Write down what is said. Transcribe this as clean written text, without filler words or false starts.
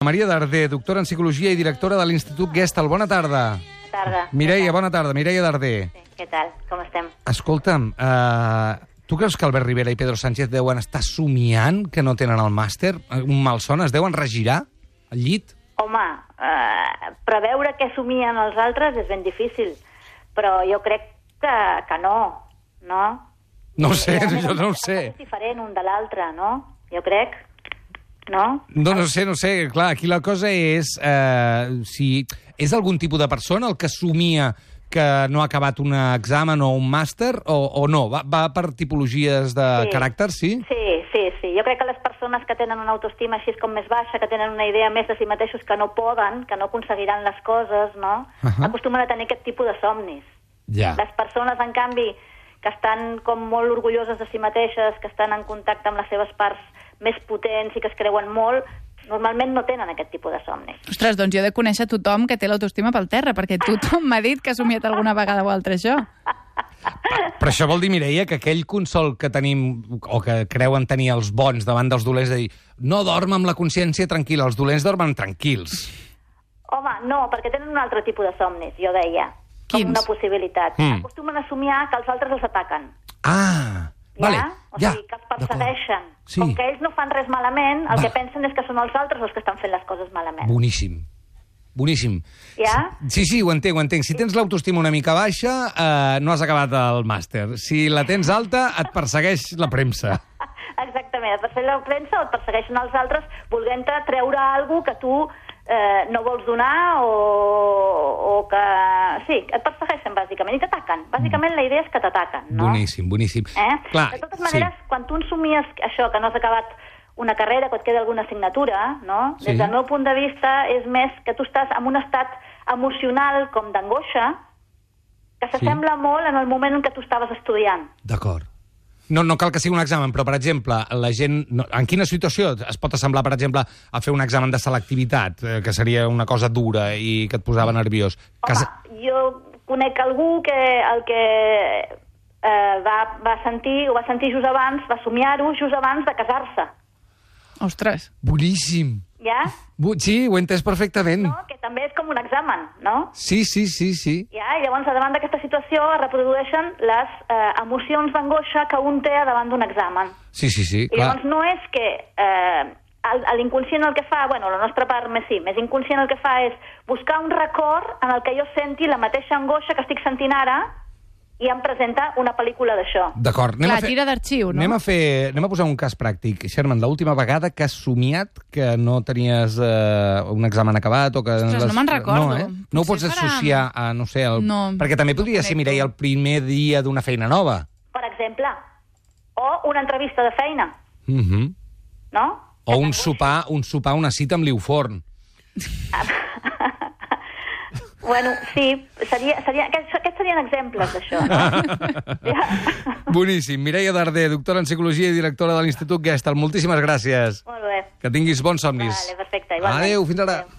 Maria Darder, doctora en Psicologia i directora de l'Institut Gestal. Bona tarda. Bona tarda. Mireia, bona tarda. Mireia Darder. Sí, què tal? Com estem? Escolta'm, tu creus que Albert Rivera i Pedro Sánchez deuen estar somiant que no tenen el màster? Un malson? Es deuen regirar al llit? Home, preveure què somien els altres és ben difícil, però jo crec que no, no? No ho sé, jo no ho sé. És diferent un de l'altre, no? Jo crec, no? No sé. Clar, aquí la cosa és si és algun tipus de persona el que somia que no ha acabat un examen o un màster o no? Va per tipologies de caràcter, sí? Sí. Jo crec que les persones que tenen una autoestima així com més baixa, que tenen una idea més de si mateixos que no poden, que no aconseguiran les coses, no? Acostumen a tenir aquest tipus de somnis. Ja. Les persones, en canvi, que estan com molt orgulloses de si mateixes, que estan en contacte amb les seves parts més potents i que es creuen molt, normalment no tenen aquest tipus de somnis. Ostres, doncs jo he de conèixer tothom que té l'autoestima pel terra, perquè tothom m'ha dit que ha somiat alguna vegada o altra això. Però això vol dir, Mireia, que aquell consol que tenim, o que creuen tenir els bons davant dels dolents, de dir, no dorm amb la consciència tranquil·la, els dolents dormen tranquils. Home, no, perquè tenen un altre tipus de somnis, jo deia. Quins? Com una possibilitat. Acostumen a somiar que els altres els ataquen. Ah, vale. O sigui, que els persegueixen. Sí. Com que ells no fan res malament, el que pensen és que són els altres els que estan fent les coses malament. Boníssim. Ja? Sí, ho entenc. Si tens l'autoestima una mica baixa, no has acabat el màster. Si la tens alta, et persegueix la premsa. Exactament, et persegueix la premsa o et persegueixen els altres volent-te treure alguna que tu no vols donar o que... Sí, et persegueixen, bàsicament, i t'ataquen. Bàsicament la idea és que t'ataquen, no? Boníssim. Clar, de totes maneres, quan tu ensomies això, que no has acabat una carrera, que et queda alguna assignatura, no? Sí. Des del meu punt de vista, és més que tu estàs en un estat emocional com d'angoixa que s'assembla molt en el moment en què tu estaves estudiant. D'acord. No cal que sigui un examen, però, per exemple, la gent... En quina situació es pot assemblar, per exemple, a fer un examen de selectivitat, que seria una cosa dura i que et posava nerviós? Home, jo conec algú que el que va sentir just abans, va somiar-ho just abans de casar-se. Ostres. Boníssim. Ja? Sí, ho he entès perfectament. No? Que també és com un examen, no? Sí. Ja? I llavors, davant d'aquesta situació, es reprodueixen les emocions d'angoixa que un té davant d'un examen. Sí, I llavors no és que l'inconscient el que fa, la nostra part més inconscient el que fa és buscar un record en el que jo senti la mateixa angoixa que estic sentint ara i em presenta una pel·lícula d'això. D'acord. Clar, tira d'arxiu, no? Anem a posar un cas pràctic. Sherman, l'última vegada que has somiat que no tenies un examen acabat o que... Ostres, no me'n recordo. No ho pots associar a, no sé... No. Perquè també podria ser, Mireia, el primer dia d'una feina nova. Per exemple. O una entrevista de feina. No? O un sopar, una cita amb l'Iuforn. Sí, aquests serien exemples d'això, no? Boníssim. Mireia Darder, doctora en Psicologia i directora de l'Institut Gestal. Moltíssimes gràcies. Molt bé. Que tinguis bons somnis. Vale, perfecte. Igualment. Adéu, fins ara. Adéu.